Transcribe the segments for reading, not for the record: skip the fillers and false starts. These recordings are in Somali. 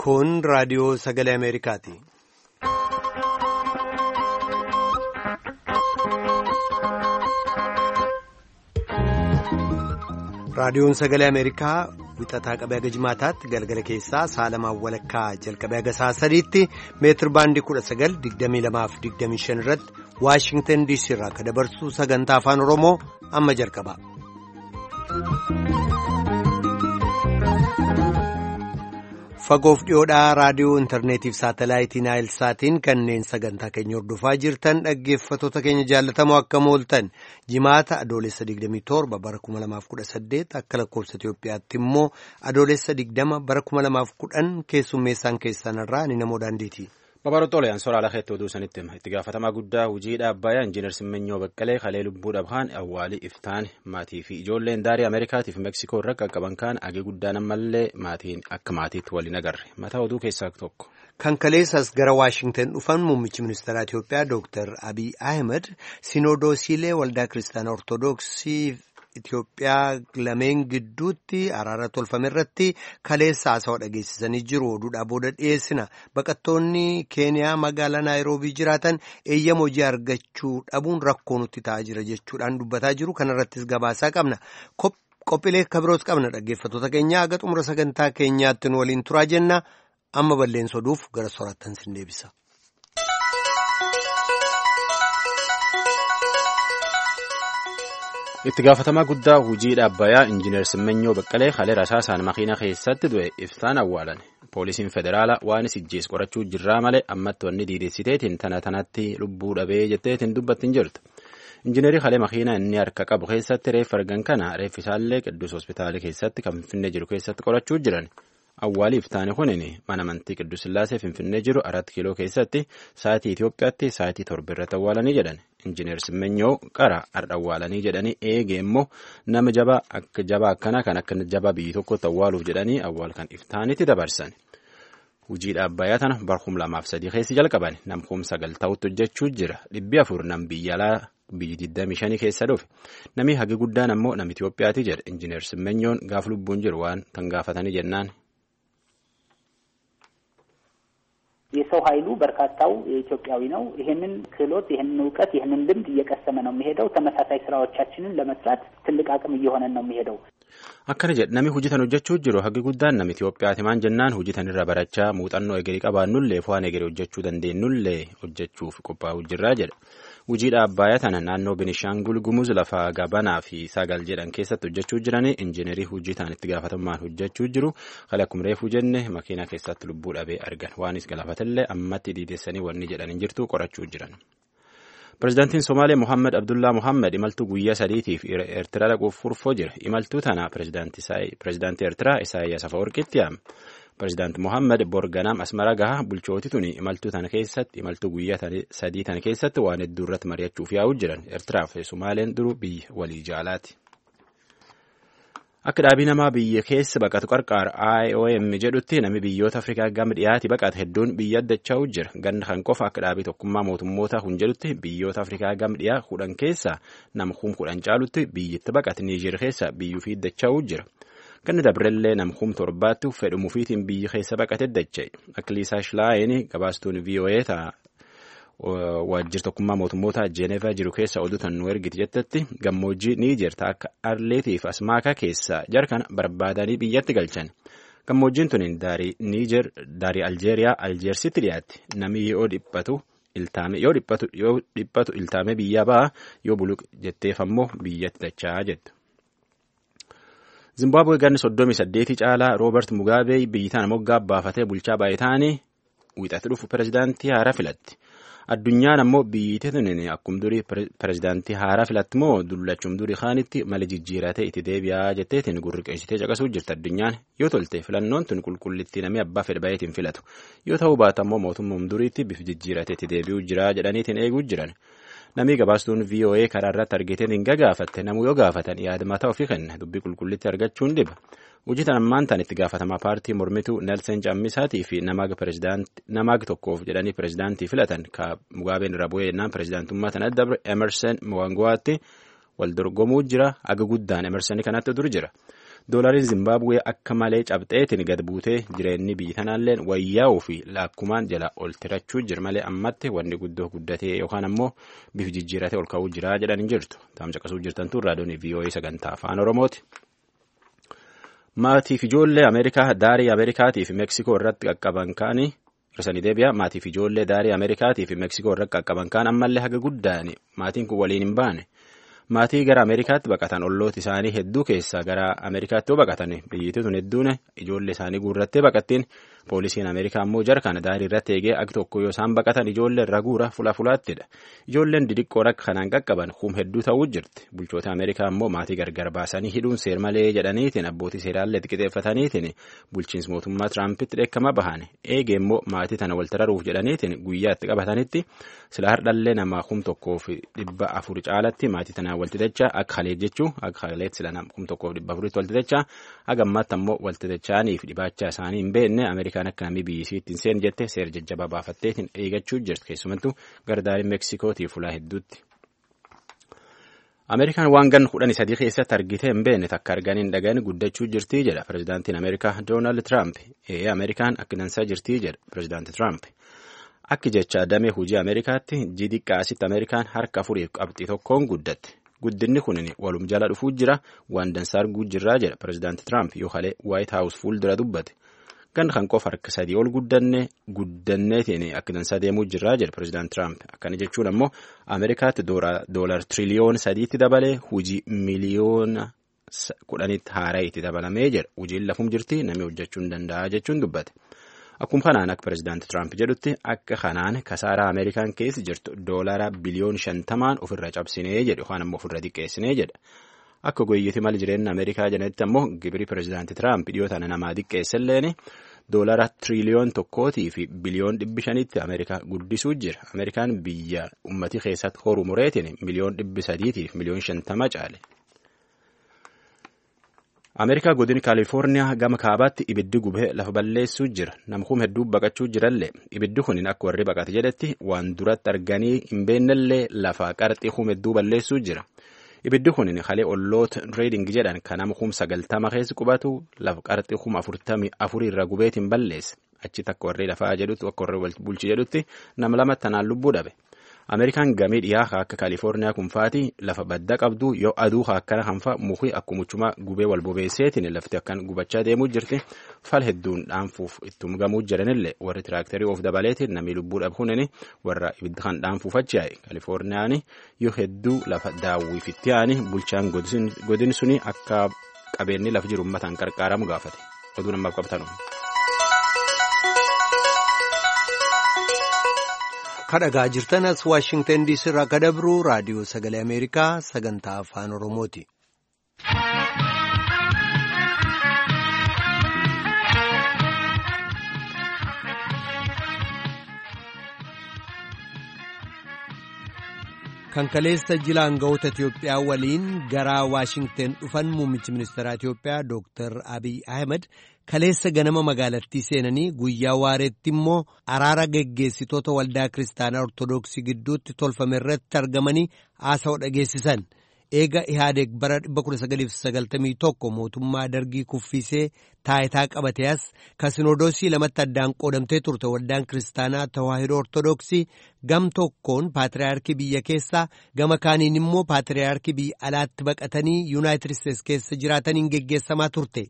Kun raadiyoo sagalee Ameerikaati. Raadiyoon sagalee Ameerikaa wixataa qabee haga jimaataatti galgala keessaa sa'a lamaan walakkaa jalqabee haga sa'a sadiitti meetir baandii 19,22 fi 25 irratti Waashingtan DC irraa akka dabarsu sagantaa afaan Oromoo amma jalqaba. Fagoof dhiyoodhaa raadiyoo intarneetiif saatalaayitii Naayilsaatiin kanneen sagantaa keenya hordofaa jirtan dhaggeeffattoota keenya jaallatamoo akkam ooltan jimaata adoolessa 27 bara 2018 akka lakkoofsa Itoophiyaatti immoo adoolessa 20 bara 2010 keessummeessaan keessanirraa ni namoo daandiiti. Babaroota Oliyaan soora alakeetti oduu sanitti hima. Itti gaafatamaa guddaa hojii dhaabbayaa Injiinar Simmenyoo Baqqalee kalee lubbuu dhabhaan awwaalii iftaan maatii fi ijoolleen daarii Ameerikaatiif Meksikoo irra qaqqaban kaan agee guddaan ammallee maatiin akka maatiitti waliin agarre. Mataa oduu keessaa tokko. Kan kaleessas gara Waashingtan dhufan muummichi ministeeraa Itoophiyaa Dooktar Abiy Ahmed Sinodoosiilee Waldaa Kiristaanaa Ortoodooksii Itoophiyaa lameen gidduutti araara tolfame irratti kaleessa haasawaa dhageessisanii jiru. Oduudhaa booda dhiyeessina. Baqattoonni Keeniyaa magaalaa Naayiroobii jiraatan eeyyama hojii argachuu dhabuun rakkoo nutti ta'aa jira jechuudhaan dubbataa jiru. Kanarrattis gabaasaa qabna. Qophiilee kabiroos qabna dhaggeeffattoota keenya haga xumura sagantaa keenyaatti nu waliin turaa jenna. Amma balleessa oduuf gara soraattan sin deebisa. Itti gaafatamaa guddaa hojii dhaabbayaa Injiinar Simmenyoo Baqqalee kalee rasaasaan makiina keessatti du'e iftaan awwaalan. Poolisiin federaalaa waan ijjees qorachuu jirraa malee ammatti wanni diidessiteetiin tana tanatti lubbuu dhabee jetteetiin dubbatti hin jirtu. Injiinarii kalee makiina inni harka qabu keessatti reeffa argan kana reeffi isaallee Qidduus Hospitaalii keessatti kan Finfinnee jiru keessatti qorachuu jiran. Awwaalii iftaani kunin mana amantii Qidduus Sillaasee Finfinnee jiru 4 kiiloo keessatti sa'aatii Itoophiyaatti sa'aatii 7 irratti awwaalanii jedhan. Injiinar Simmenyoo qara har'a awwaalanii jedhanii eegee immoo nama jabaa akka jabaa akkanaa kan akka jabaa biyyi tokkotti awwaaluuf jedhanii awwaal kan iftaanitti dabarsan. Hojii dhaabbayaa tana bara 2003 keessa jalqaban nam 9,000 ta'utti hojjechuu jira. 400 nam biyya alaa biyyi 25 keessa dhufe. Namni hagi guddaan ammoo nama Itoophiyaati jedha. Injiinar Simmenyoon gaaf lubbuun jiru waan kan gaafatanii jennaan. የሰው ኃይሉ በርካታው ኢትዮጵያዊ ነው። ይህንን ክህሎት፣ ይህንን እውቀት፣ ይህንን ልምድ እየቀሰመ ነው የሚሄደው። ተመሳሳይ ስራዎቻችንን ለመስራት ትልቅ አቅም እየሆነን ነው የሚሄደው። Akkana jedha namni hojii tan hojjechuu jiru haggi guddaan nama Itoophiyaati maan jennaan hojii tan irra barachaa muuxannoo egerii qabaannullee fo'aan egerii hojjechuu dandeenyullee hojjechuuf qophaa'uu jirraa jedha. Hojii dhaabbayaa tana naannoo Binishaangul Gumuz lafa Gabanaa fi Sagal jedhan keessatti hojjechuu jiranii injiinarii hojii tan itti gaafatamummaan hojjechuu jiru. Kale akkuma reefuu jenne makiinaa keessatti lubbuu dhabee argan. Waanis galaafatellee ammatti diidessanii wanni jedhan hin jirtu qorachuu jiran. Pireezidaantiin Somaaliyaa Mohaammed Abdullaa Mohaammed imaltuu guyyaa sadiitiif Eertiraa dhaquuf furfoo jira. Imaltuu tana pireezidaantii Eertiraa Isaayyaas Afawarqiitti yaame. Pireezidaanti Mohaammed Borganaam Asmara gaha bulchooti tuni imaltuu tana keessatti imaltuu guyyaa sadii tana keessatti waan hedduu irratti mari'achuuf yaa'uu jiran. Eertiraa fi Somaaliyaan duruu biyya walii jaalaati. Akka dhaabii namaa biyya keessa baqatu qarqaar IOM jedhutti namni biyyoota Afrikaa gama dhiyaati baqate hedduun biyya addachaa jira. Ganna kan qofa akka dhaabii tokkummaa mootummoota kun jedhutti biyyoota Afrikaa gama dhiyaa 10 keessa nama 10,000 caalutti biyyatti baqate Niijer keessa biyyuu fi addachaa jira. Ganna dabrellee nama 7,000 fedhumuufiitiin biyya keessa baqate dacha'e. Akka Liisaa Shilaayin gabaastuun VOA ta'a. Waajjira tokkummaa mootummoota Jeenevaa jiru keessa oduu tan nu ergiti jettetti gammoojjii Niijer akka Arleetii fi Asmaakaa keessa jarkan barbaadanii biyyatti galchan. Gammoojjiin tun daarii Niijer daarii Aljeeriyaa Aljeersitti dhiyaatti. Namni yoo dhiphatu iltaame biyya ba'a yoo buluq jetteef ammoo biyyatti dachaa jettu. Zimbaabuwee ganni 38 caalaa Roobert Mugaabee biyyi tana moggaa baafatee bulchaa baay'ee ta'anii wixatti dhufu pireezidaantii haaraa filatti. Addunyaan ammoo biyyi tuni akkum durii pireezidaantii haaraa filatti moo dullachum durii kaanitti mala jijjiiratee itti deebi'aa jetteetiin gurri qeessitee caqasuu jirti addunyaan yoo tolte filannoon tun qulqullittii namni abbaa fedhe baay'eetiin filatu yoo ta'uu baata ammoo mootummaa duriitti bifa jijjiiratee itti deebi'uu jira jedhaniitiin eeguu jiran. Namni gabaastuun VOA karaa irratti argiteen hin gagaafatte namuu yoo gaafatan yaada mataa ofii kenna dubbii qulqullitti argachuun dhiba. Hojii tan ammaan tan itti gaafatamaa paartii mormituu Nelson Cammisaatii fi namaag tokkoof jedhanii pireezidaantii filatan ka Mugaabeen irra bu'ee jennaan pireezidaantummaa tana dabre Emerson Mwango'aatti wal dorgomuu jira aga guddaan Emerson kanatti dur jira. Doolariin Zimbaabuwee akka malee cabxeetiin gad buutee jireenyi biyyi tanaallee wayyaa'uu fi laakkumaan jala ol tirachuu jira malee ammatti wanni guddoo guddatee yookaan ammoo bifa jijjiiratee ol ka'uu jira jedhan hin jirtu. Taamcaqasuu jirtantu raadiyoon VOA sagantaa afaan Oromooti. Maatiif ijoollee Ameerikaa daarii Ameerikaatii fi Meeksikoo irratti qaqqaban ka'anii hirsanii deebi'a. Maatiif ijoollee daarii Ameerikaatii fi Meeksikoo irratti qaqqaban kaan ammallee haga guddaani maatiin kun waliin hin baane. Maatii gara Ameerikaatti baqatan ollooti isaanii hedduu keessaa gara Ameerikaatti yoo baqatan biyyattii tun hedduun ijoollee isaanii guurrattee baqattiin poolisiin Ameerikaa immoo jara kana daarii irratti eegee akka tokko yoo isaan baqatan ijoollee irra guura fula fulaattidha. Ijoolleen didiqqoo rakka kanaan qaqqaban hum hedduu ta'uu jirti. Bulchoota Ameerikaa immoo maatii gargar baasanii hidhuun seer malee jedhaniitiin abbootii seeraallee xiqixeeffataniitiin bulchiinsi mootummaa Tiraampitti dheekkama bahan eegee immoo maatii tana wal tararuuf jedhaniitiin guyyaa itti qabatanitti sila hardhallee nama 1400 caalatti maatii tanaan walti dachaa akka haleet jechuu akka haleet sila 1400 walti dachaa haga ammaatti ammoo walti dachaaniif dhibaachaa isaanii hin beekne Ameerikaan akka namni biyyi isiitti hin seenne jette seera jajjabaa baafatteetiin eegachuu jirti keessumattuu gardaariin Meeksikootii fulaa hedduutti. Ameerikaan waan gan 13 keessatti argitee hin beekne takka arganii hin dhagahin guddachuu jirtii jedha pirezidaantiin Ameerikaa Doonaald Tiraamp. Ee Ameerikaan akka dansaa jirtii jedha pirezidaanti Tiraamp. Akki jecha damee hojii Ameerikaatti jidiqqaasitti Ameerikaan harka 4.1 guddatte. Guddinni kun walum jala dhufuu jira waan dansaa arguu jirraa jedha pirezidaanti Tiraamp yoo halee Waayit Haawus fuuldura dubbate. Gan kan qofa harka 3 ol guddanneetiin akka dansaa deemuu jirraa jedha pirezidaanti Tiraamp. Akkana jechuun ammoo Ameerikaatti doolar tiriliyoona 3tti dabalee hojii miliyoona 10tti haaraa itti dabalamee jedha. Hojiin lafum jirti namni hojjechuu hin danda'a jechuun dubbate. Akkuma kanaan akka pirezidaanti Tiraamp jedhutti akka kanaan kasaaraa Ameerikaan keessa jirtu doolara biliyoon 50 ofirra cabsinee jedhu yookaan ammoo ofirra xiqqeessinee jedha. Akka goyyeeti mala jireenya Ameerikaa jedhanitti ammoo gibiri pirezidaanti Tiraamp dhiyoo tana namaa xiqqeesselleen doolara tiriliyoon 1 fi biliyoon 500tti Ameerikaa guddisuu jira. Ameerikaan biyya uummatii keessatti horu mureetiin miliyoon 300 fi miliyoon 50 caale. Ameerikaa godina Kaalifoorniyaa gama kaabaatti ibiddi gubee lafa balleessuu jira. Nama kuma hedduu baqachuu jirallee ibiddi kun akka warri baqate jedhetti waan duratti arganii hin beennellee lafa qarxii kuma hedduu balleessuu jira. Ibiddi kun halee olloota reeding jedhan kan nama 90,000 keessa qubatu lafa qarxii 44,000 irra gubeetiin balleesse. Achitti akka warri lafaa jedhutti akka warri bulchi jedhutti nama lama tanaan lubbuu dhabe. Ameerikaan gamii dhiyaa akka Kaalifoorniyaa kunfaati lafa badda qabdu yoo aduu akkana hanfa mukii akkumuchuma gubee wal bobeesseetiin lafti akkan gubachaa deemuu jirti fal hedduun dhaanfuuf ittum gamuu jiranillee warri tiraaktarii of dabaleetiin namni lubbuu dhabhuun warra ibidda kan dhaanfuuf achi yaa'e Kaalifoorniyaan yoo hedduu lafa daawwiif itti yaa'ani bulchaan godin suni akka qabeenyi lafa jiru uummataan qarqaaramu gaafate oduu namaaf qabatan. Kadhagaa jirtan as Waashingtan DC irraa akka dabru raadiyoo sagalee Ameerikaa sagantaa afaan Oromooti. Kan kaleessa jila aangawoota Itiyoophiyaa waliin gara Waashingten dhufan muummichi ministeeraa Itiyoophiyaa Dooktar Abiy Ahmed kaleessa ganama magaalattii seenanii guyyaa waareetti immoo araara geggeessitoota waldaa kiristaanaa Ortoodooksii gidduutti tolfame irratti argamanii haasawaa dhageessisan. Eega Ihaadeeg bara 1991 mootummaa dargii kuffisee taayitaa qabate as kan sinodoosii lamatti addaan qoodamtee turte waldaan kiristaanaa tawaahidoo Ortoodooksii gam tokkoon paatriyaarkii biyya keessaa gama kaaniin immoo paatriyaarkii biyya alaatti baqatanii Yuunaayitid Isteets keessa jiraataniin geggeessamaa turte.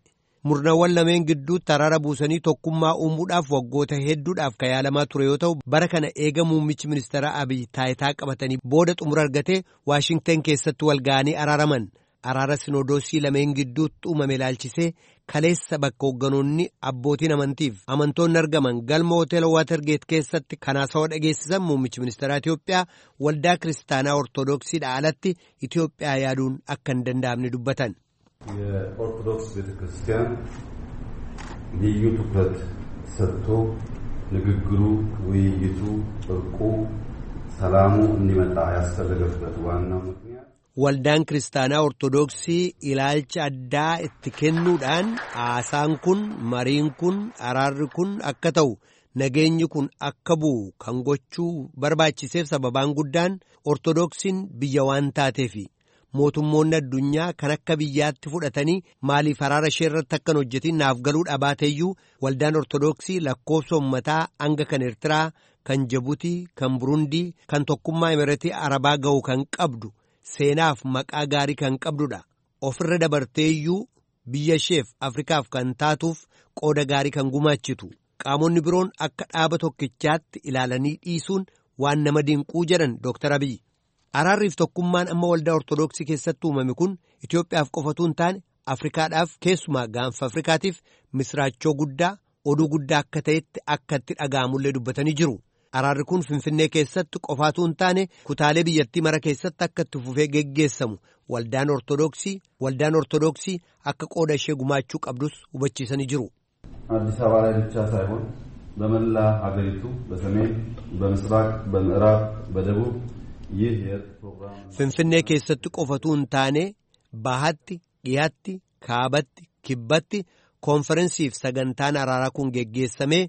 Murnawwan lameen gidduutti araara buusanii tokkummaa uumuudhaaf waggoota hedduudhaaf kan yaalamaa ture yoo ta'u bara kana eega muummichi ministeera Abiy taayitaa qabatanii booda xumura argatee Waashingten keessatti wal ga'anii araaraman. Araara sinodoosii lameen gidduutti uumame ilaalchisee kaleessa bakka hoogganoonni abbootiin amantiif amantoonni argaman galma hoteela Waatergeet keessatti kan haasawaa dhageessisan muummichi ministeera Itiyoophiyaa waldaa kiristaanaa Ortoodooksiidha alatti Itiyoophiyaa yaaduun akka hin danda'amne dubbatan. የኦርቶዶክስ ቤተ ክርስቲያን ልዩ ትኩረት ሰጥቶ ንግግሩ፣ ውይይቱ፣ እርቁ፣ ሰላሙ እንዲመጣ ያስፈለገበት ዋናው ምክንያት Waldaan kiristaanaa Ortoodooksii ilaalcha addaa itti kennuudhaan haasaan kun, mariin kun, araarri kun akka ta'u nageenyi kun akka bu'u kan gochuu barbaachiseef sababaan guddaan Ortoodooksiin biyya waan taateefi. Mootummoonni addunyaa kan akka biyyaatti fudhatanii maaliif araara ishee irratti akkan hojjetin naaf galuu dhabaateeyyuu waldaan Ortodoksii lakkoofsa uummataa hanga kan Eertiraa, kan Jabuutii, kan Burundii, kan tokkummaa Imireetii Arabaa ga'u kan qabdu seenaaf maqaa gaarii kan qabdudha. Ofirra dabarteeyyuu biyya isheef Afrikaaf kan taatuuf qooda gaarii kan gumaachitu. Qaamonni biroon akka dhaaba tokkichaatti ilaalanii dhiisuun waan nama dinquu jedhan Dooktar Abiyyi. Araarriif tokkummaan amma waldaa Ortodoksii keessatti uumame kun Itoophiyaaf qofatu hin taane Afrikaadhaaf keessumaa gaanfa Afrikaatiif misraachoo guddaa oduu guddaa akka ta'etti akka itti dhaga'amullee dubbatanii jiru. Araarri kun Finfinnee keessatti qofaatu hin taane kutaalee biyyattii mara keessatti akka itti fufee geggeessamu waldaan Ortodoksii akka qooda ishee gumaachuu qabdus hubachiisanii jiru. አዲስ አበባ ላይ ብቻ ሳይሆን በመላ ሀገሪቱ በሰሜን፣ በምስራቅ፣ በምዕራብ፣ በደቡብ ይህ የእርቅ ፕሮግራም Finfinnee keessatti qofatu hin taane bahatti, dhiyaatti, kaabatti, kibbatti koonferensiif sagantaan araaraa kun geggeessamee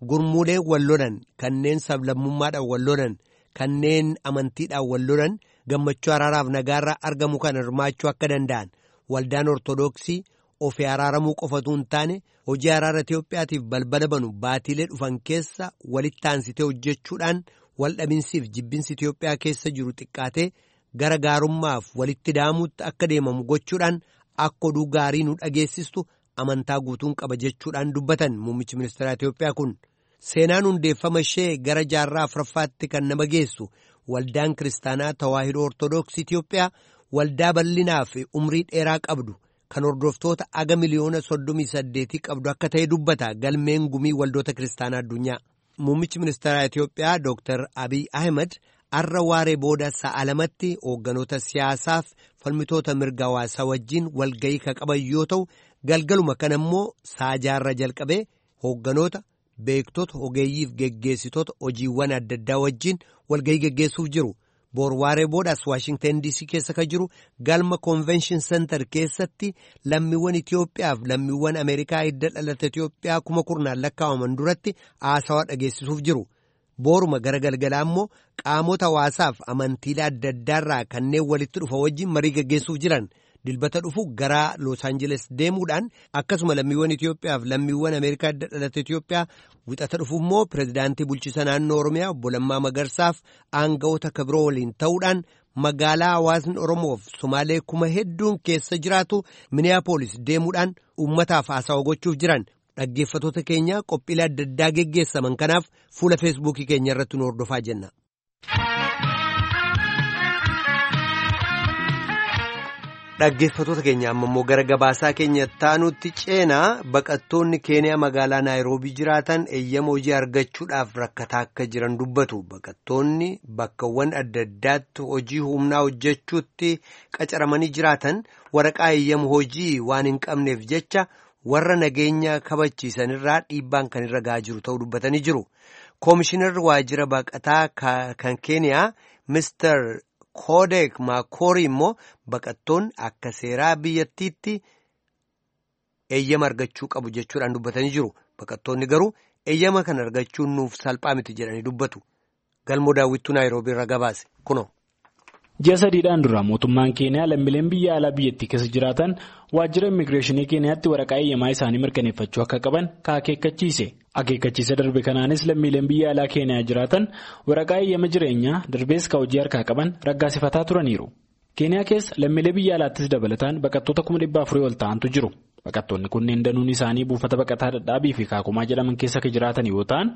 gurmuulee wal lolan kanneen sablammummaadhaan wal lolan kanneen amantiidhaan wal lolan gammachuu araaraaf nagaarraa argamu kan hirmaachuu akka danda'an waldaan Ortodoksii ofii araaramuu qofatu hin taane hojii araara Itoophiyaatiif balbala banu baatiilee dhufan keessa walitti aansitee hojjechuudhaan waldhabinsiif jibbinsi Itoophiyaa keessa jiru xiqqaatee gara gaarummaaf walitti daamuutti akka deemamu gochuudhaan akka oduu gaarii nu dhageessistu amantaa guutuun qaba jechuudhaan dubbatan muummichi ministeera Itoophiyaa kun. Seenaan hundeeffama ishee gara jaarraa afuraffaatti kan nama geessu waldaan kiristaanaa Tawaahidoo Ortodoksii Itoophiyaa waldaa bal'inaa fi umrii dheeraa qabdu kan hordoftoota aga miliyoona 38 qabdu akka ta'e dubbata galmeen gumii waldoota kiristaanaa addunyaa. Muummichi ministeera Itoophiyaa Dr. Abiy Ahmed arra waaree booda sa'a 2tti hoogganoota siyaasaaf falmitoota mirga hawaasaa wajjin walga'ii kan qaban yoo ta'u galgaluma kana immoo sa'a jaarra jalqabee hoogganoota beektota ogeeyyiif geggeessitoota hojiiwwan adda addaa wajjin walga'ii geggeessuuf jiru. Boor waaree boodaas Waashingtan DC keessa kan jiru galma Convention Center keessatti lammiiwwan Itoophiyaa fi lammiiwwan Ameerikaa hidda dhalata Itoophiyaa kuma kurnaan lakkaa'aman duratti haasawaa dhageessisuuf jiru. Booruma gara galgalaa immoo qaamota hawaasaaf amantiilee adda addaarraa kanneen walitti dhufa wajjin marii geggeessuuf jiran. Dilbata dhufu gara Los Angeles deemuudhaan akkasuma lammiiwwan Itoophiyaa fi lammiiwwan Ameerikaa hidda dhalata Itoophiyaa wixata dhufu immoo pirezidaantii bulchiisa naannoo Oromiyaa obbo Lammaa Magarsaaf aanga'oota kabiroo waliin ta'uudhaan magaalaa hawaasni Oromoof Somaalee kuma hedduun keessa jiraatu Minneapolis deemuudhaan uummataaf haasawaa gochuuf jiran. Dhaggeeffattoota keenya qophiilee adda addaa geggeessaman kanaaf fuula feesbuukii keenya irratti nu hordofaa jenna. Dhaggeeffattoota keenya amma immoo gara gabaasaa keenya taanutti ceenaa baqattoonni Keeniyaa magaalaa Naayiroobii jiraatan eeyyama hojii argachuudhaaf rakkataa akka jiran dubbatu. Baqattoonni bakkawwan adda addaatti hojii humnaa hojjechuutti qacaramanii jiraatan waraqaa eeyyama hojii waan hin qabneef jecha warra nageenya kabachiisanirraa dhiibbaan kan irra gahaa jiru ta'uu dubbatanii jiru. Koomishinarri waajjira baqataa kan Keeniyaa Mr. Koodek Maakorii immoo baqattoonni akka seeraa biyyattiitti eeyyama argachuu qabu jechuudhaan dubbatanii jiru. Baqattoonni garuu eeyyama kana argachuun nuuf salphaa miti jedhanii dubbatu. Galmoo daawwittuu Naayiroobii irra gabaase kunoo. Ji'a sadiidhaan dura mootummaan Keeniyaa lammiileen biyya alaa biyyattii keessa jiraatan waajjira immigireeshinii Keeniyaatti waraqaa eeyyamaa isaanii mirkaneeffachuu akka qaban akeekkachiise. Akeekkachiisa darbe kanaanis lammiileen biyya alaa Keeniyaa jiraatan waraqaa eeyyama jireenyaa darbees ka hojii harkaa qaban raggaasifataa turaniiru. Keeniyaa keessa lammiilee biyya alaattis dabalataan baqattoota 400,000 ol ta'antu jiru. Baqattoonni kunneen danuun isaanii buufata baqataa Dhadhaabii fi Kaakumaa jedhaman keessa kan jiraatan yoo ta'an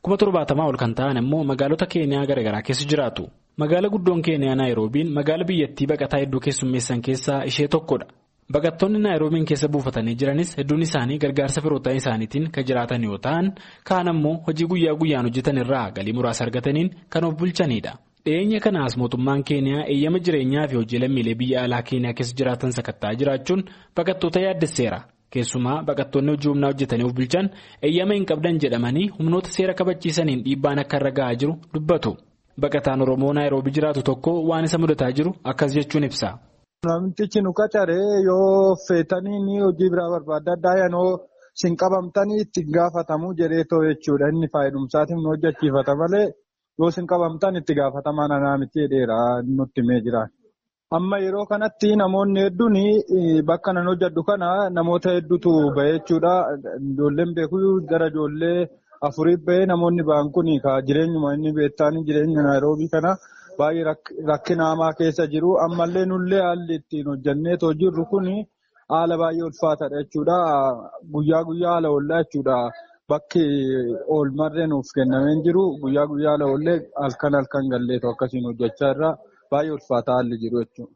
70,000 ol kan ta'an immoo magaalota Keeniyaa garaagaraa keessa jiraatu. Magaala guddoon Keeniyaa Naayiroobiin magaala biyyattii baqataa hedduu keessummeessan keessaa ishee tokkodha. Baqattoonni Naayiroobiin keessa buufatanii jiranis hedduun isaanii gargaarsa firoottan isaaniitiin kan jiraatan yoo ta'an kaan ammoo hojii guyyaa guyyaan hojjetan irraa galii muraasa argataniin kan of bulchanidha. Dhiyeenya kanaas mootummaan Keeniyaa eeyyama jireenyaa fi hojii lammiilee biyya alaa Keeniyaa keessa jiraatan sakatta'aa jiraachuun baqattoota yaaddesseera. Keessumaa baqattoonni hojii humnaa hojjetanii of bulchan eeyyama hin qabdan jedhamanii humnoota seera kabachiisaniin dhiibbaan akka irra gahaa jiru dubbatu. Baqataan Oromoo Naayiroobii jiraatu tokko waan isa mudataa jiru akkas jechuun ibsa. Namtichi nu qacaree yoo feetanii hojii biraa barbaadda addaa yanoo sin qabamtanii itti gaafatamu jedhee jechuudha. Inni faayidumsaatiin nu hojjechiifata malee yoo sin qabamtan itti gaafatamaan anaa miti jedheera nutti himee jira. Amma yeroo kanatti namoonni hedduun bakka nan hojjedhu kana namoota hedduutu bahee jechuudha. Ijoolleen beeku gara ijoollee afurii bahee namoonni ba'an kun jireenyuma inni beektaan jireenya Naayiroobii kana baay'ee rakkina hamaa keessa jiru. Ammallee nullee haalli ittiin hojjennee too jirru kun haala baay'ee ulfaataadha jechuudha. Guyyaa guyyaa haala oollaa jechuudha. Bakki oolmarree nuuf kennamee jiru guyyaa guyyaa haala oollee halkan halkan galleetu akkasiin hojjechaa irra baay'ee ulfaataa haalli jiru jechuudha.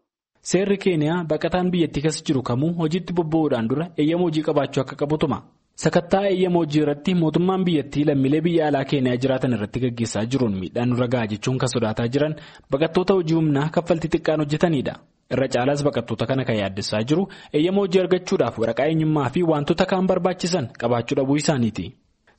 Seerri Keeniyaa baqataan biyyattii keessa jiru kamuu hojiitti bobba'uudhaan dura eeyyama hojii qabaachuu akka qabu tuma. Sakattaa eeyyama hojii irratti mootummaan biyyattii lammiilee biyya alaa Keeniyaa jiraatan irratti gaggeessaa jiruun miidhaan nurra gahaa jechuun kan sodaataa jiran baqattoota hojii humnaa kaffaltii xiqqaan hojjetanidha. Irra caalaas baqattoota kana kan yaaddessaa jiru eeyyama hojii argachuudhaaf waraqaa eenyummaa fi wantoota kaan barbaachisan qabaachuu dhabuu isaaniiti.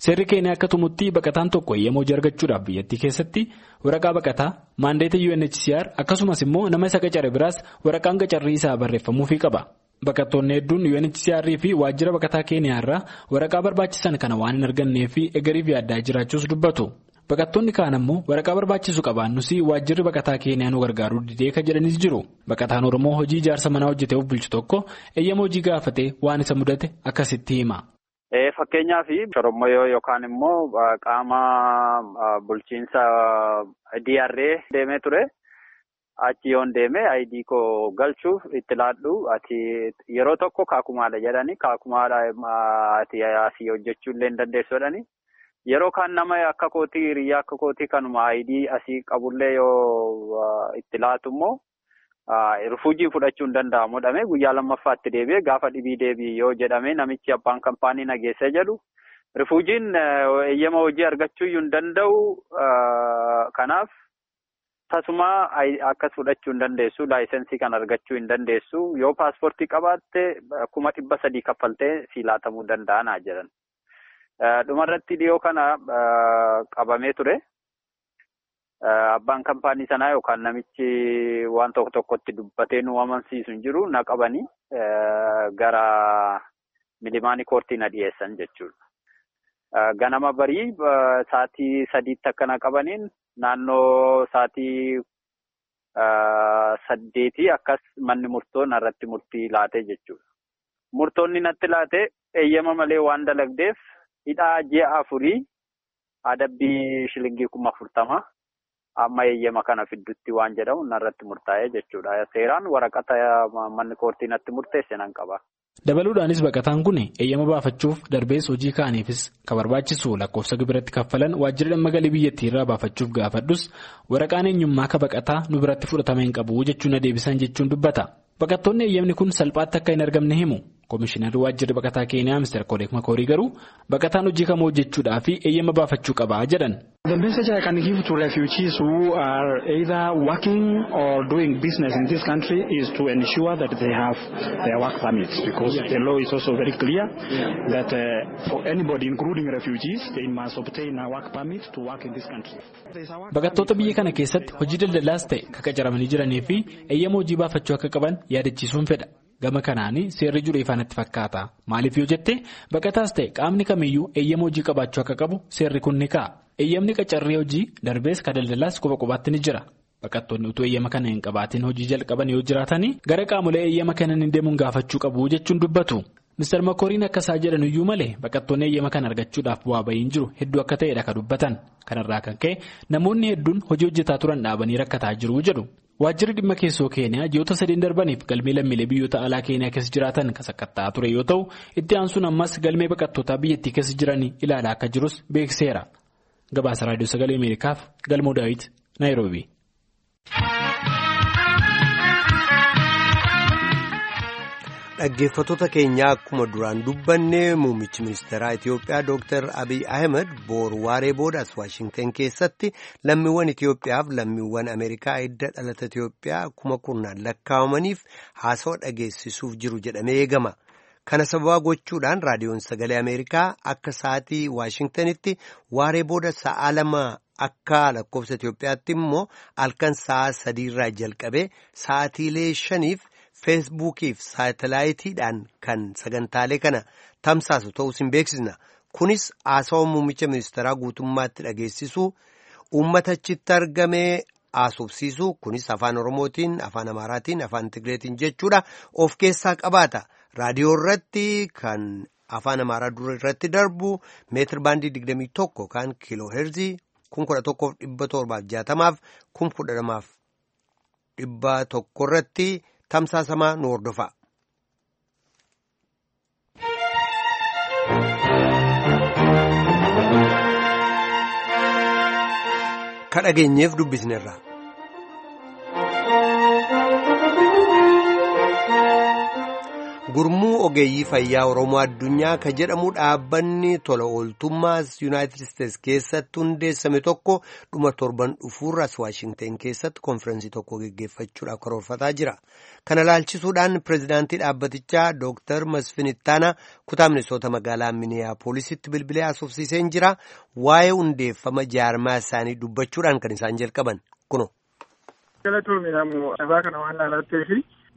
Seerri Keeniyaa akka tumutti baqataan tokko eeyyama hojii argachuudhaaf biyyattii keessatti waraqaa baqataa maandeeta UNHCR akkasumas immoo nama isa qacare biraas waraqaan qacarrii isaa barreeffamuufii qaba. Baqattoonni hedduun UNHCR fi waajjira baqataa Keeniyaa irraa waraqaa barbaachisan kana waan hin argannee fi egeriif yaaddaa jiraachuus dubbatu. Baqattoonni kaan ammoo waraqaa barbaachisu qabaannus waajjirri baqataa Keeniyaa nu gargaaruu didee kan jedhanis jiru. Baqataan Oromoo hojii ijaarsa manaa hojjetee of bulchu tokko eeyyama hojii gaafatee waan isa mudate akkasitti hima. Fakkeenyaaf shorommoyoo yookaan immoo qaama bulchiinsa DRA deemee ture. Achi yoon deeme ID koo galchuuf itti laadhu ati yeroo tokko kaakumaadha jedhani kaakumaadha ati asii hojjechuu illee hin dandeessu jedhani. Yeroo kaan nama akka kootii hiriyaa akka kootii kanuma ID asii qabullee yoo itti laatu immoo rifuujii fudhachuu hin danda'amu jedhamee guyyaa lammaffaatti deebi'ee gaafa dhibii deebi'e yoo jedhame namichi abbaan kampaanii nageessee jedhu rifuujiin eeyyama hojii argachuu hin danda'u kanaaf. Tasuma akkas fudhachuu hin dandeessu laayisensii kan argachuu hin dandeessu yoo paaspoortii qabaatte 300,000 kaffaltee si laatamuu danda'anaa jedhan. Dhumarratti dhiyoo kana qabamee ture. Abbaan kampaanii sanaa yookaan namichi waan tokko tokkotti dubbatee nu amansiisu hin jiru na qabanii gara milimaanii koortii na dhiyeessan jechuudha. Ganama barii sa'aatii 3tti akka na qabaniin. Naannoo sa'aatii 8 akkas manni murtoo narratti murtii laate jechuudha. Murtoonni natti laate eeyyama malee waan dalagdeef hidhaa ji'a 4 adabbii shilingii 40,000 amma eeyyama kana fiddutti waan jedhamu narratti murtaa'e jechuudha. Seeraan waraqata manni koortii natti murteesse nan qaba. Dabaluudhaanis baqataan kun eeyyama baafachuuf darbees hojii kaaniifis kan barbaachisu lakkoofsa gibiratti kaffalan waajjira dhimma galii biyyattii irraa baafachuuf gaafadhus waraqaan eenyummaa ka baqataa nu biratti fudhatama hin qabu jechuun na deebisan jechuun dubbata. Baqattoonni eeyyamni kun salphaatti akka hin argamne himu. Komishinarri waajjirri baqataa Keeniyaa Mr. Koreek Makoorii garuu baqataan hojii kamuu hojjechuudhaa fi eeyyama baafachuu qabaa jedhan. The message I can give to refugees who are either working or doing business in this country is to ensure that they have their work permits because the law is also very clear that for anybody including refugees they must obtain a work permit to work in this country. Baqattoota biyya kana keessatti hojii daldalaas ta'e kan qacaramanii jiranii fi eeyyama hojii baafachuu akka qaban yaadachiisuun fedha. Gama kanaan seerri jiru ifaanatti fakkaata. Maaliif yoo jette baqataas ta'e qaamni kamiyyuu eeyyama hojii qabaachuu akka qabu seerri kun ni kaa'a. Eeyyamni qacarrii hojii darbees kan daldalaas quba qubaatti ni jira. Baqattoonni utuu eeyyama kana hin qabaatin hojii jalqaban yoo jiraatanii gara qaamolee eeyyama kennan deemuun gaafachuu qabu jechuun dubbatu. Mr. Makooriin akka isaa jedhan iyyuu malee baqattoonni eeyyama kana argachuudhaaf bu'aa bahiin jiru hedduu akka ta'edha kan dubbatan. Kanarraa kan ka'e namoonni hedduun hojii hojjetaa turan dhaabanii rakkataa jiru jedhu. Waajjirri dhimma keessoo Keeniyaa ji'oota 3 darbaniif galmee lammiilee biyyoota alaa Keeniyaa keessa jiraatan kan sakatta'aa ture yoo ta'u itti aansuun ammas galmee baqattootaa biyyattii keessa jiranii ilaalaa akka jirus beeksiseera. Gabaasa Raadiyoo Sagalee Ameerikaaf Galmoo Daawit Naayiroobii. Dhaggeeffattoota keenya akkuma duraan dubbanne muummichi ministeeraa Itiyoophiyaa Dr. Abiy Ahmed boru waaree booda as Waashingtan keessatti lammiiwwan Itiyoophiyaaf lammiiwwan Ameerikaa hidda dhalata Itiyoophiyaa 10,000 lakkaa'amaniif haasawa dhageessisuuf jiru jedhamee eegama. Kana sababaa gochuudhaan raadiyoon sagalee Ameerikaa akka sa'aatii Waashingtanitti waaree booda sa'a 2 akka lakkoofsa Itiyoophiyaatti immoo halkan sa'a 3 irraa jalqabee sa'aatiilee 5f. Feesbuukiif saatalaayitiidhaan kan sagantaalee kana tamsaasu ta'us hin beeksisna. Kunis haasawa muummicha ministeeraa guutummaatti dhageessisuu uummata achitti argamee haasofsiisu kunis afaan Oromootiin, afaan Amaaraatiin, afaan Tigreetiin jechuudha of keessaa qabaata. Raadiyoo irratti kan afaan Amaaraa dura irratti darbu meetir baandii 21 kan kiiloo heerzii 11,760 fi 12,100 irratti tamsaasamaa nu hordofa. Ka dhageenyeef dubbisneerra. Gurmuu ogeeyyii fayyaa Oromoo addunyaa ka jedhamu dhaabbanni tola ooltummaa Yuunaayitid Isteets keessatti hundeessame tokko dhuma torban dhufuurras Waashingteen keessatti konfiraansii tokko geggeeffachuudhaaf karoorfataa jira. Kana laalchisuudhaan pireezidaantii dhaabbatichaa Dooktar Masfin Ittaanaa kutaa Minisoota magaalaa Miniyaapoolisitti bilbilee haasofsiiseen jira. Waa'ee hundeeffama jaarmaa isaanii dubbachuudhaan kan isaan jalqaban kuno.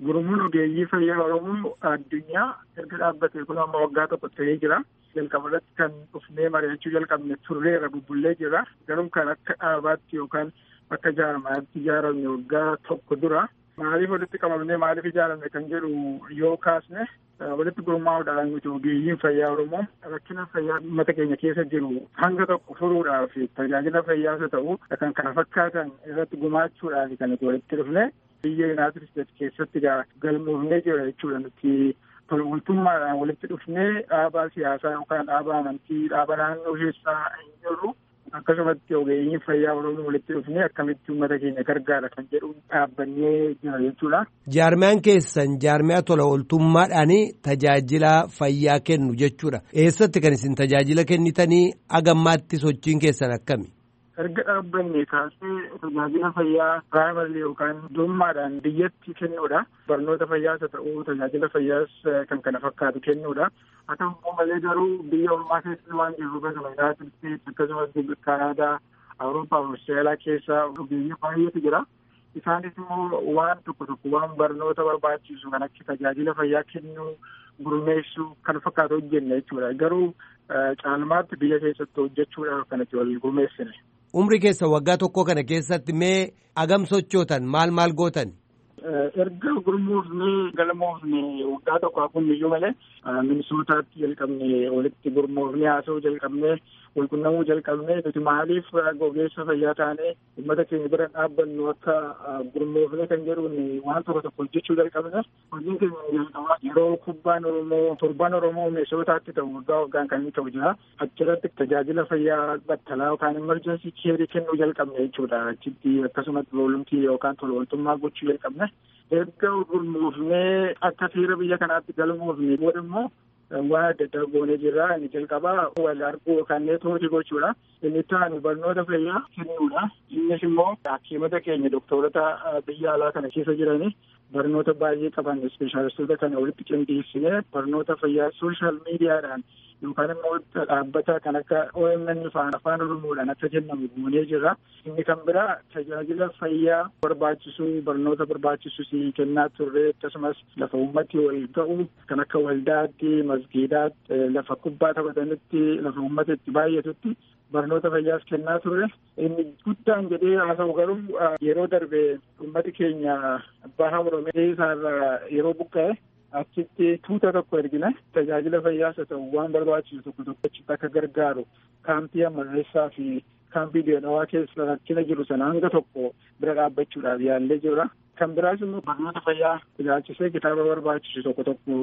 Gurmuun ogeeyyii fayyaa Oromoo addunyaa erga dhaabbatee kun amma waggaa tokko ta'ee jira. Jalqaba irratti kan dhufnee mari'achuu jalqabne turreera bubbullee jira. Garuu kan akka dhaabaatti yookaan akka jaarmaatti ijaaramne waggaa tokko dura. Maaliif walitti qabamnee maaliif ijaaramne kan jedhu yoo kaasne walitti gurmaa'uudhaan nuti ogeeyyiin fayyaa Oromoo rakkina fayyaa uummata keenya keessa jiru hanga tokko furuudhaaf tajaajila fayyaas haa ta'u kan kana fakkaatan irratti gumaachuudhaaf kan nuti walitti dhufne. Biyya Yuunaayitid Isteets keessatti galmoofnee jira jechuudha nuti tola ooltummaadhaan walitti dhufnee dhaabaa siyaasaa yookaan dhaaba amantii dhaaba naannoo keessaa hin jirru akkasumatti ogeeyyiin fayyaa Oromoo walitti dhufnee akkamitti uummata keenya gargaara kan jedhu dhaabbannee jira jechuudha. Jaarmiyaan keessan jaarmiyaa tola ooltummaadhaan tajaajila fayyaa kennu jechuudha. Eessatti kan isin tajaajila kennitanii hagammaatti sochiin keessan akkami? Erga dhaabbanne kaasee tajaajila fayyaa piraayimarii yookaan dhuunfaadhaan biyyatti kennuudha. Barnoota fayyaas haa ta'u tajaajila fayyaas kan kana fakkaatu kennuudha. Haa ta'u malee garuu biyya ormaa keessa waan jirruuf akkasuma Yuunaayitid Isteets akkasumas Kaanaadaa, Awurooppaa fi Awustiraaliyaa keessa ogeeyyii baay'eetu jira. Isaanis immoo waan tokko tokko waan barnoota barbaachisu kan akka tajaajila fayyaa kennuu, gurmeessuu kan fakkaatu hojjenna jechuudha. Garuu caalmaatti biyya keessatti hojjechuudhaaf kan itti wal gurmeessine. Umri keessa waggaa tokko kana keessatti mee agam sochootan maal maal gootan? Erga gurmoofnee galmoofne waggaa tokko hafuun iyyuu malee Minisootaatti jalqabne walitti gurmoofnee haasa'uu jalqabne walqunnamuu jalqabne nuti maaliif ogeessa fayyaa taanee uummata keenya bira dhaabbannu akka gurmoofne kan jedhuun waan tokko tokko hojjechuu jalqabne hojiin keenya jalqabaa yeroo kubbaan Oromoo torban Oromoo Minisootaatti ta'u waggaa waggaan kan inni ta'u jira achirratti tajaajila fayyaa battalaa yookaan emergency care kennuu jalqabne jechuudha achitti akkasumatti voluntii yookaan tola ooltummaa gochuu jalqabne. Erga gurmoofnee akka seera biyya kanaatti galmoofne booda immoo waan adda addaa goonee jirra. Inni jalqabaa wal arguu yookaan neetwoorkii gochuudha. Inni itti aanu barnoota fayyaa kennuudha. Innis immoo hakiimota keenya doktorota biyya alaa kana keessa jiranii barnoota baay'ee qaban ispeeshaalistoota kana walitti qindeessinee barnoota fayyaa sooshaal miidiyaadhaan yookaan immoo dhaabbata kan akka OMN afaan Oromoodhaan akka kennamu goonee jirra. Inni kan biraa tajaajila fayyaa barbaachisu barnoota barbaachisu si kennaa turre akkasumas lafa uummati wal ga'u kan akka waldaatti, masgiidaatti, lafa kubbaa taphatanitti, lafa uummata itti baay'atutti barnoota fayyaas kennaa turre. Inni guddaan jedhee haasa'u garuu yeroo darbe uummati keenya baha Oromiyaa isaarraa yeroo buqqa'e achitti tuuta tokko ergine tajaajila fayyaas haa ta'u waan barbaachisu tokko tokko achitti akka gargaaru kaampii Amarreessaa fi kaampii Deenawaa keessa rakkina jiru sana hanga tokko bira dhaabbachuudhaaf yaallee jirra. Kan biraas immoo barnoota fayyaa ilaalchisee kitaaba barbaachisu tokko tokko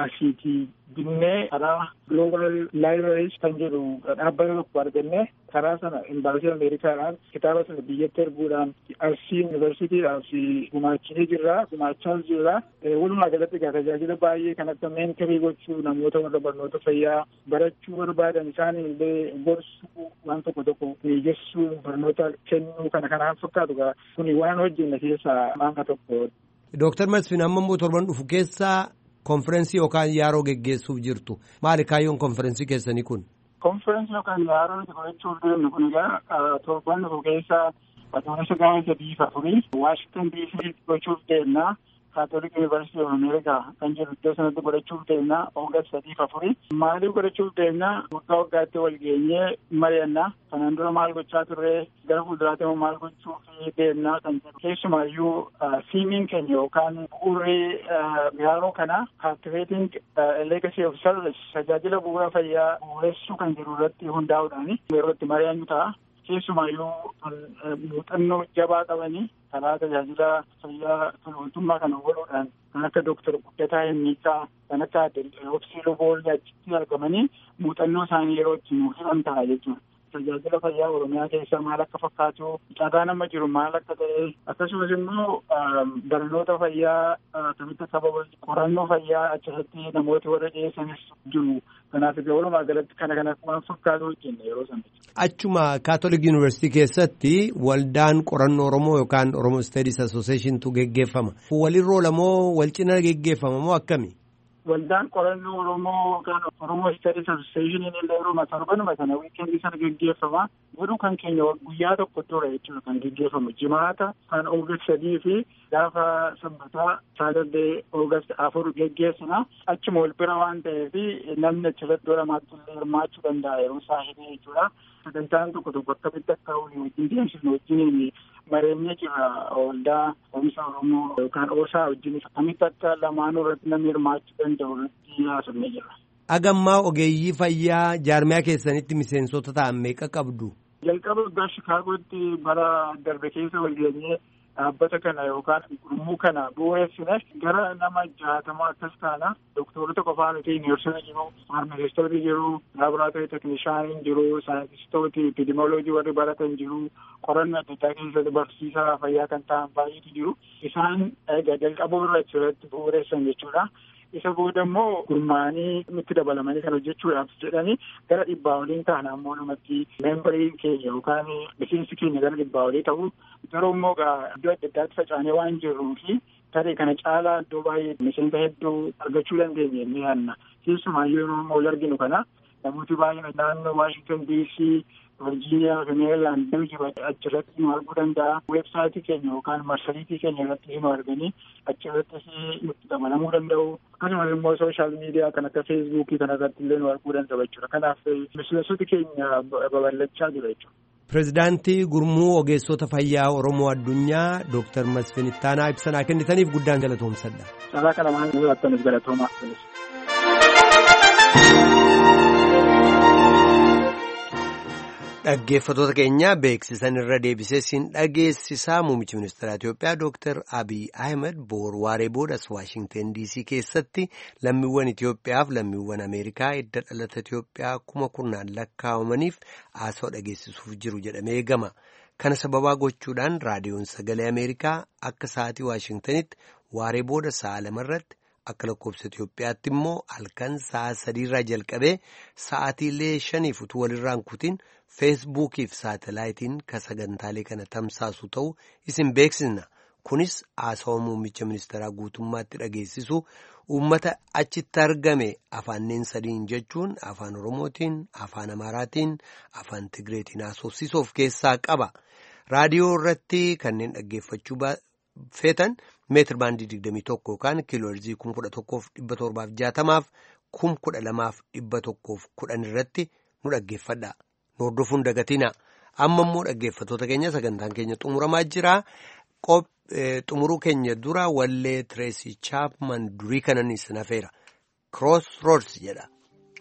asiitii binnee karaa Global Libraries kan jedhu dhaabbata tokko argannee karaa sana imbaasii Ameerikaadhaan kitaaba sana biyyatti erguudhaan Arsii Yuunivarsiitiidhaaf gumaachinee jirra gumaachaas jirra. Walumaa galatti egaa tajaajila baay'ee kan akka meenterii gochuu namoota warra barnoota fayyaa barachuu barbaadan isaan illee gorsuu waan tokko tokko mijeessuu barnoota kennuu kana kanaan fakkaatu egaa kuni waan hojjenne keessaa hanga tokko. Dooktar Masfin amma immoo torban dhufu keessaa konferensii yookaan yaaroo geggeessuuf jirtu. Maali kaayyoon konferensii keessanii kun? Konferensii yookaan yaaroo nuti gochuuf deemnu kun egaa torban dhufu keessa adoolessa gaafa 3 fi 4 Waashingtan DC gochuuf deemna. Catholic University of America kan jedhu iddoo sanatti godhachuuf deemna August 3 fi 4. Maaliif godhachuuf deemna? Waggaa waggaatti wal geenyee mari'anna. Kanaan dura maal gochaa turre, gara fuulduraatti immoo maal gochuuf deemna kan jedhu. Keessumaayyuu themeiin keenya yookaan bu'uurri yeroo kana Cultivating Legacy of Service, tajaajila bu'uura fayyaa bu'uuressuu kan jedhu irratti hundaa'uudhaan yeroo itti mari'annu ta'a. Keessumaayyuu kan muuxannoo jabaa qabanii karaa tajaajila fayyaa tola kana godhuudhaan kan akka Dooktar Guddataa Himmiiqaa, kan akka Obsii Luboollee achitti argamanii muuxannoo isaanii yeroo itti nuuf hiran ta'a jechuudha. Tajaajila fayyaa Oromiyaa keessa maal akka fakkaatu, carraan amma jiru maal akka ta'e, akkasumas immoo barnoota fayyaa akkamitti akka babal'atu, qorannoo fayyaa achirratti namooti warra dhiyeessanis jiru. Kanaaf egaa walumaa galatti kana kana waan fakkaatu hojjenne yeroo sana. Achuma Catholic University keessatti waldaan qorannoo Oromoo yookaan Oromo Studies Associationtu geggeeffama. Walirra oola moo wal cina geggeeffama moo akkami? Waldaan qorannoo Oromoo yookaan Oromo Studies Association illee yeroo torbanuma sana weekendii sana geggeeffama. Garuu kan keenya guyyaa tokko dura jechuudha kan geggeeffamu. Jimaata kan August 3 fi gaafa sanbataa Saturday August 4 geggeessina. Achuma wal bira waan ta'eef namni achirratti lamaatti illee hirmaachuu danda'a yeroo isaa hidhee jechuudha. Sagantaan tokko tokko akkamitti akka walii wajjin deemsifnu wajjin mareenyee jira. Waldaa Oomisha Oromoo yookaan OSA wajjin akkamitti akka lamaanuu irratti namni hirmaachuu danda'u irratti haasofnee jira. Agammaa ogeeyyii fayyaa jaarmiyaa keessanitti miseensota ta'an meeqa qabdu? Jalqaba waggaa Shikaagootti bara darbe keessa wal geenyee dhaabbata kana yookaan gurmuu kana bu'uureessine gara nama 60 akkas taana. Doktorota qofaa miti, neersota jiru, faarmasistooti jiru, laaboraatoorii teknishaaniin jiru, saayintistooti, epidemioloojii warri baratan jiru, qorannoo adda addaa keessatti barsiisaa fayyaa kan ta'an baay'eetu jiru. Isaan egaa jalqabuu irra achirratti bu'uureessan jechuudha. Isa booda immoo gurmaa'anii nutti dabalamanii kan hojjechuudhaaf jedhanii gara 100 oliin ta'an ammoo namatti membarii keenya yookaan miseensi keenya gara 100 olii ta'u. Garuu immoo iddoo adda addaatti facaanee waan jirruu fi tarii kana caalaa iddoo baay'ee miseensa hedduu argachuu dandeenya ni yaadna. Keessumaayyuu yeroo wal arginu kana namooti baay'een naannoo Washington DC, Virginia fi Maryland jiru achirratti nu arguu danda'a. Weebsaayitii keenya yookaan marsariitii keenya irratti nu arganii achirrattis nutti dabalamuu danda'u. Akkasumas immoo sooshaal miidiyaa kan akka Feesbuukii kana irratti illee nu arguu danda'u jechuudha. Kanaaf miseensoti keenya babal'achaa jira jechuudha. Pireezidaantii Gurmuu Ogeessota Fayyaa Oromoo Addunyaa Dooktar Masfin Ittaanaa ibsanaa kennitaniif guddaan galatoomsadha. Carraa kana waan nu laattaniif galatoomaa. Dhaggeeffattoota keenya beeksisan irra deebisee siin dhageessisaa muummichi ministeera Itoophiyaa Dooktar Abiy Ahmed boor waaree boodas Waashingtan DC keessatti lammiiwwan Itoophiyaaf lammiiwwan Ameerikaa edda dhalata Itoophiyaa 10,000 lakkaa'amaniif haasawaa dhageessisuuf jiru jedhamee eegama. Kana sababaa gochuudhaan raadiyoon sagalee Ameerikaa akka sa'aatii Waashingtanitti waaree booda sa'a 2 irratti akka lakkoofsa Itoophiyaatti immoo halkan sa'a 3 irraa jalqabee sa'aatiilee 5 utuu walirraan kutiin feesbuukiif saatalaayitiin ka sagantaalee kana tamsaasu ta'u isin beeksisna. Kunis haasawaa muummicha ministeeraa guutummaatti dhageessisu uummata achitti argame afaanneen sadiin jechuun afaan Oromootiin, afaan Amaaraatiin, afaan Tigreetiin haasofsiisuu of keessaa qaba. Raadiyoo irratti kanneen dhaggeeffachuu feetan meetir baandii 21 yookaan kiilooherzii 11,760 12,110 irratti nu dhaggeeffadha. Nu hordofuun dagatina. Amma immoo dhaggeeffattoota keenya sagantaan keenya xumuramaa jira. Xumuruu keenya dura wallee Tireesii Chaapman durii kanan isin hafeera. Cross Roads jedha.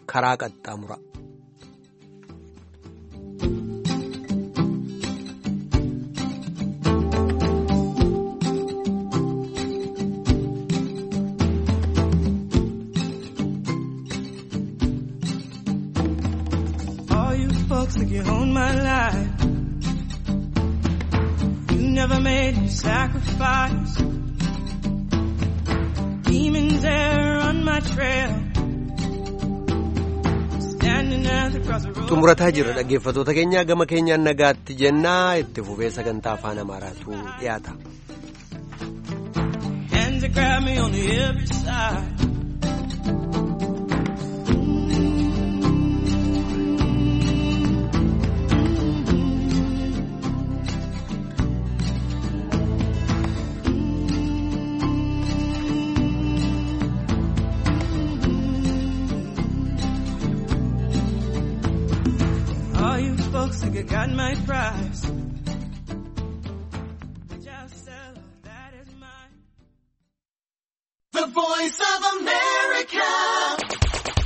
Karaa qaxxaamura. Think you own my life. You never made me sacrifice. Demons there on my trail. Standing at the crossroads. Xumurataa jirra dhaggeeffattoota keenya gama keenyaan nagaatti jennaa itti fufee sagantaa afaan Amaaraatu dhiyaata. Hands that grab me on every side. Looks like I got my prize.